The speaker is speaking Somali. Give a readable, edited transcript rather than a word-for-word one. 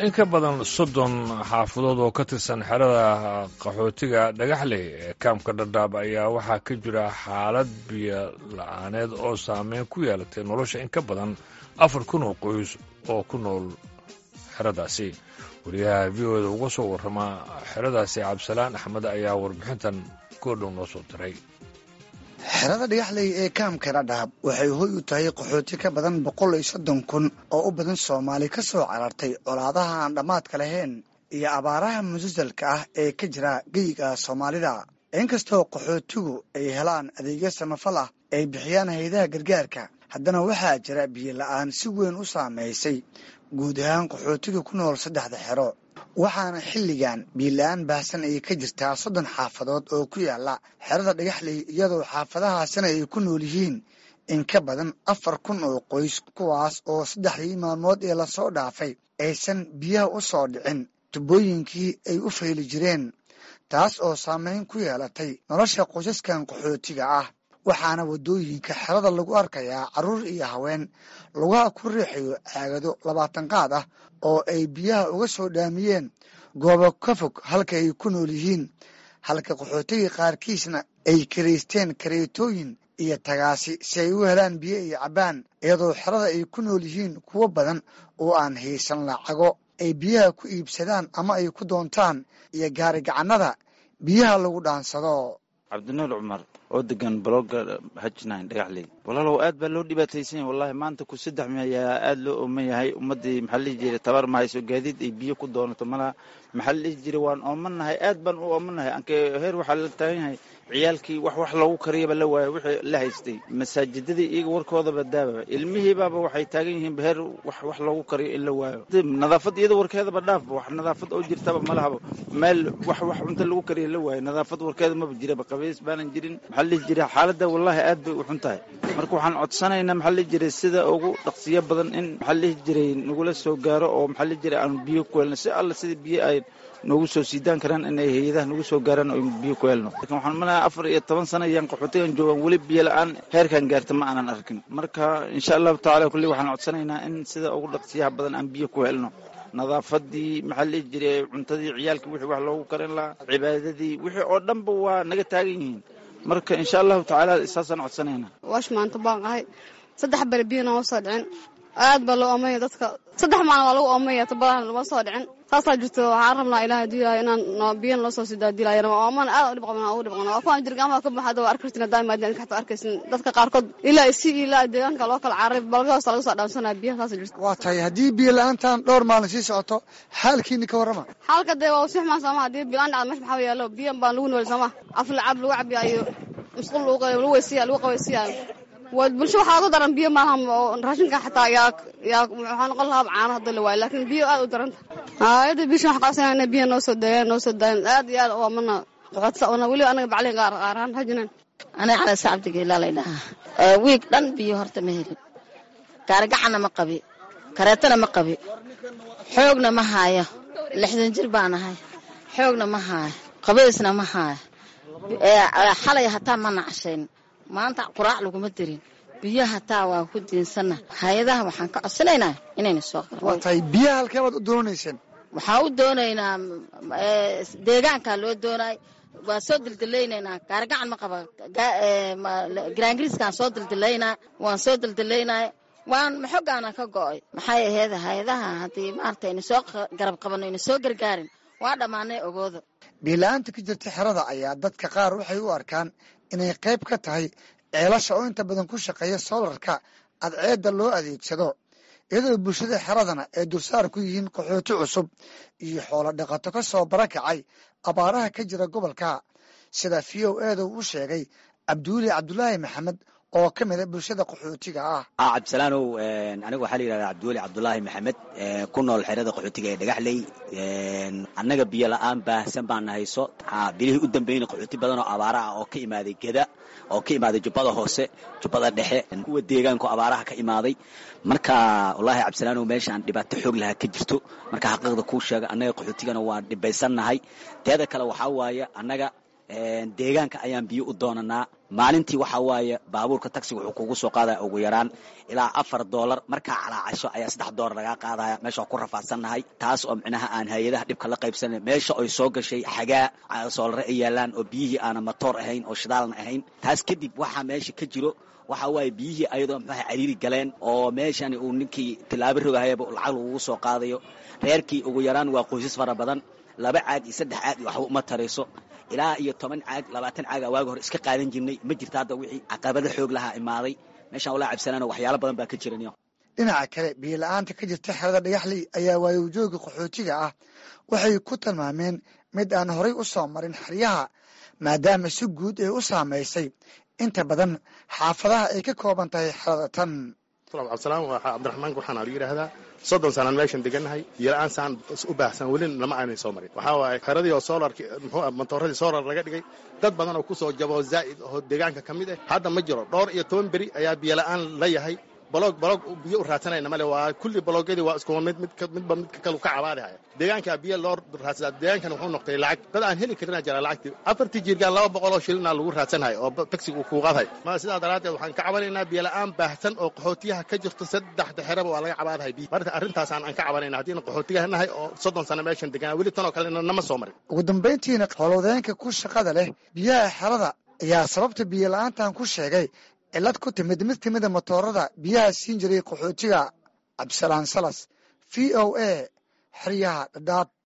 In ka badan 30 xaafadood oo ka tirsan xerada qaxootiga Dhagaxley ee kaamka Dhadhaab ayaa waxaa ka jira xaalad biyo la-aaneed oo saameyn ku yeelatay nolosha in ka badan 4000 oo qoys oo ku nool xeradaasi. Wariyaha VOA-da uga soo warrama xeradaasi, Cabdisalaan Axmed, ayaa warbixintan goordhow noo soo diray. Xerada Dhagaxley ee kaamka Dhadhaab waxay hoy u tahay qaxooti ka badan 130,000 oo u badan Soomaali ka soo carartay colaadaha aan dhammaadka lahayn iyo abaaraha musalsalka ah ee ka jira geyiga Soomaalida. Inkastoo qaxootigu ay helaan adeegyo samafal ah ay bixiyaan hayadaha gargaarka, haddana waxaa jira biyo la-aan si weyn u saameysay guud ahaan qaxootiga ku nool saddexda xero, waxaana xilligan biyo-la-aan baahsan ay ka jirtaa 30 xaafadood oo ku yaala xerada Dhagaxley, iyadoo xaafadahaasina ay ku nool yihiin in ka badan 4000 oo qoys, kuwaas oo saddexdii maalmood ee lasoo dhaafay aysan biyaha u soo dhicin tubooyinkii ay u fayli jireen, taas oo saameyn ku yeelatay nolosha qoysaskan qaxootiga ah. Waxaana waddooyinka xerada lagu arkayaa carruur iyo haween lugaha ku riixayo caagado 20 qaad ah oo ay biyaha uga soo dhaamiyeen goobo ka fog halka ay ku nool yihiin, halka qaxootiga qaarkiisna ay karaysteen kareetooyin iyo tagaasi si ay u helaan biyo iyo cabbaan, iyadoo xerada ay ku nool yihiin kuwo badan oo aan haysan lacago ay biyaha ku iibsadaan ama ay ku doontaan iyo gaari gacannada biyaha lagu dhaansado. Cabdinuur Cumar oo degan blogga Hajnine Dhagaxley. Walaalow, aad baa loo dhibaataysan yahay wallahi. Maanta ku saddex ayaa aad loo ooman yahay. Ummaddii, maxaa la dhihi jiray, tabar ma hayso, gaadiid ay biyo ku doonato malaha. Maxaa la dhihi jiray, waan oomanahay, aad baan u oomanahay. Anke heer waxaa la taagan yahay ciyaalkii wax loogu kariyaba la waayo. Wixii la haystay masaajidadii iyaga warkoodaba daababa, ilmihiibaaba waxay taagan yihiin heer wax loogu kariyo in la waayo. Nadaafad iyada warkeedaba dhaafba, wax nadaafad oo jirtaba malahaba. Meel wax cunto lagu kariyo la waayo, nadaafad warkeeda maba jiraba, qabays baanan jirin. Maxaa la dhihi jiray, xaaladda wallahi aad bay u xun tahay. Marka waxaan codsanaynaa, maxaa la dhihi jiray, sida ugu dhaqsiyo badan in, maxaa la dhihi jiray, nagula soo gaaro oo, maxaa la dhihi jiray, aanu biyo ku helno. Si alla sida biyo ay noogu soo siidaan karaan inay hay-adaha nagu soo gaaraan oo biyo ku helno. Lakin waxaan malaha 14 sano ayaan qaxootigan joogaan, weli biyo la-aan heerkan gaarta ma aanan arkin. Marka insha Allahu tacala kulli waxaan codsanaynaa in sida ugu dhaqsiyaha badan aan biyo ku helno, nadaafadii, maxaa la dhihi jiray, cuntadii ciyaalkii wixii wax loogu karin lahaa, cibaadadii, wixii oo dhanba waa naga taagan yihiin. Marka insha Allahu tacaala saasaan codsanaynaa. Waash maanta baan ahay 3 beri biyo nooma soo dhicin. Aad baa loo oomaya dadka, 3 maalin waa lagu oomaya, tubadahan lama soo dhicin. Saasaa jirto. Waxaan rabnaa Ilaah haduu yahay inaan biyo noo soo sidaa dilaayana. Waa oomana, aad u dhib qabnaa, ugu dhib qabnaa. Waa kuwaan jirgaamaha ka baxa, waa arki kartin hadaa imaadeen xataa arkaysin. Dadka qaarkood ilaa si ilaa deegaanka loo kala cararay, balga hoosta laga soo dhaamsanaya biyaha. Saasa jirto. Waa tahay, haddii biyo la-aantan dhowr maalin sii socoto, xaalkiini ka warrama. Xaalka dee waa usii xumaan sooma. Haddii biyo la-aan dhacdo, meesha maxaa yaalo? Biyo baan lagu nool sooma, af lacab lagu cabiya iyo musqul lagu weysiya, lagu qabaysiya. Waa bulsho waxaa ugu daran biyo maaha oo raashinka xataa yaa waxaa noqon lahaa caano hadda la waayo, laakiin biyo aad u daranta. Hayada bishan waxaan qabsanaa biyo noo soo daayaan, noo soo daayaan. Aad iyo aad oo mana qaxootisa ona weliba anaga baclin qaar qaaraan hajinan. Aniga Cali Sacabdiga ilaa lay dhahaa. Wiig dhan biyo horta ma helin. Gaarigacanna ma qabi, kareetana ma qabi, xoogna ma haayo. 60 jir baan ahay, xoogna ma haayo, qabaysna ma haayo. Xalay hataa ma nacashayn, maanta quraac laguma dirin. Biyo hataa waa ku diinsanna. Hay-adaha waxaan ka codsanaynaa inayna soo Waa tahay, biyaha halkee baad u doonayseen? Waxaan u doonaynaa deegaankaa loo doonay. Waa soo dildilaynaynaa. Gaarigacan ma qaba, giraangiriiskaan soo dildilaynaa, waan soo dildilaynaa, waan maxogaana ka go'ay. Maxay ahayd, hay-adaha haddii maarata ayna soo garab qabano, ayna soo gargaarin, waa dhammaanay ogooda. Biyo-la-aanta ka jirta xerada ayaa dadka qaar waxay u arkaan inay qayb ka tahay ceelasha oo inta badan ku shaqeeya soolarka cadceedda loo adeegsado, iyadoo bulshada xeradana ay dulsaar ku yihiin qaxooti cusub iyo xoolo dhaqato ka soo barakacay abaaraha ka jira gobolka, sida VOA-da uu sheegay Cabduuli Cabdulaahi Maxamed oo ka mid a bulshada qaxootiga ah. Cabdisalaanow, aniga waxaa la yidhahdaa Cabdiweli Cabdulaahi Maxamed, ku nool xerada qaxootiga ee Dhagaxley. Annaga biyo la-aan baahsan baan hayso. Bilihii u dambeeyna qaxooti badan oo abaara ah oo ka imaaday Geda, oo ka imaaday Jubbada Hoose, Jubbada Dhexe, kuwa deegaanku abaaraha ka imaaday. Marka wallaahi Cabdisalaanow, meeshaan dhibaato xoog lahaa ka jirto. Marka xaqiiqda kuu sheega, annaga qaxootigana waa dhibaysannahay. Teeda kale waxaa waaye annaga Deegaanka ayaan biyo u doonanaa. Maalintii waxaa waaye baabuurka taxiga wuxuu kugu soo qaadaya ugu yaraan ilaa $4. Markaa calaacasho ayaa $3 lagaa qaadaya. Meesha waa ku rafaadsannahay, taas oo micnaha aan hay-adaha dhibka la qaybsanay. Meesha oy soo gashay xagaa, soolare ay yaalaan oo biyihii aana matoor ahayn oo shidaalna ahayn. Taas kadib waxaa meesha ka jiro waxaa waaye biyihii ayadoo muxuaha cariiri galeen oo meeshani uu ninkii tilaabo rogahayaba lacag lagugu soo qaadayo. Reerkii ugu yaraan waa qoysas fara badan, 2 caag iyo 3 caag iyo waxba uma tarayso. Ilaa iyo 10 caag, 20 caaga waagi hore iska qaadan jirnay, ma jirta hadda. Wixii caqabado xoog lahaa imaaday meeshaan walaa cabsanaano, waxyaalo badan baa ka jiran. Dhinaca kale, biyo la-aanta ka jirta xerada Dhagaxley ayaa waayowjooga qaxootiga ah waxay ku tilmaameen mid aan horay u soo marin xeryaha, maadaama si guud ay u saamaysay inta badan xaafadaha ay ka kooban tahay xerada tan. Cabdisalaam, waa Cabdiraxmaan waxaana lagu yidhaahdaa. 30 sanaan meeshan degannahay. Biyola-aan saan u baahsan weli lama aanay soo marin. Waxaa waaye xeradii oo soolarki, muxuu, matooradii soolar laga dhigay, dad badan oo kusoo jabo zaa'id oo deegaanka ka mid ah hadda ma jiro. Dhowr iyo toban beri ayaa biyola-aan la yahay. Baloog baloog biyo u raadsanayna male. Waa kulli baloogyadii waa iskuwa mid, mid midba midka kalu ka cabaadihaya. Deegaankaa biyo loo raadsadaa, deegaankan wuxuu noqday lacag dad aan heli karinaa jira. Lacagtii afartii jiirgaan 200 oo shilinaa lagu raadsanhayo oo taxiga uu kuu qaadhay. Ma sidaa daraaddeed waxaan ka cabanaynaa biyo la'aan baahsan oo qaxootiyaha ka jirto. Saddexda xeraba waa laga cabaadahay biyo. Marka arrintaasaan aan ka cabanayna haddiina qaxootiyaha nahay oo 30 sano meeshan deganaa, weli tan oo kalena nama soo marin. Ugu dambayntiina, howlwadeenka ku shaqada leh biyaha xerada ayaa sababta biyo la-aantan ku sheegay cillad ku timid mid ka mida motoorada biyaha siin jiray qaxootiga. Cabdisalaan Salas, VOA, xeryaha Dhadhaab.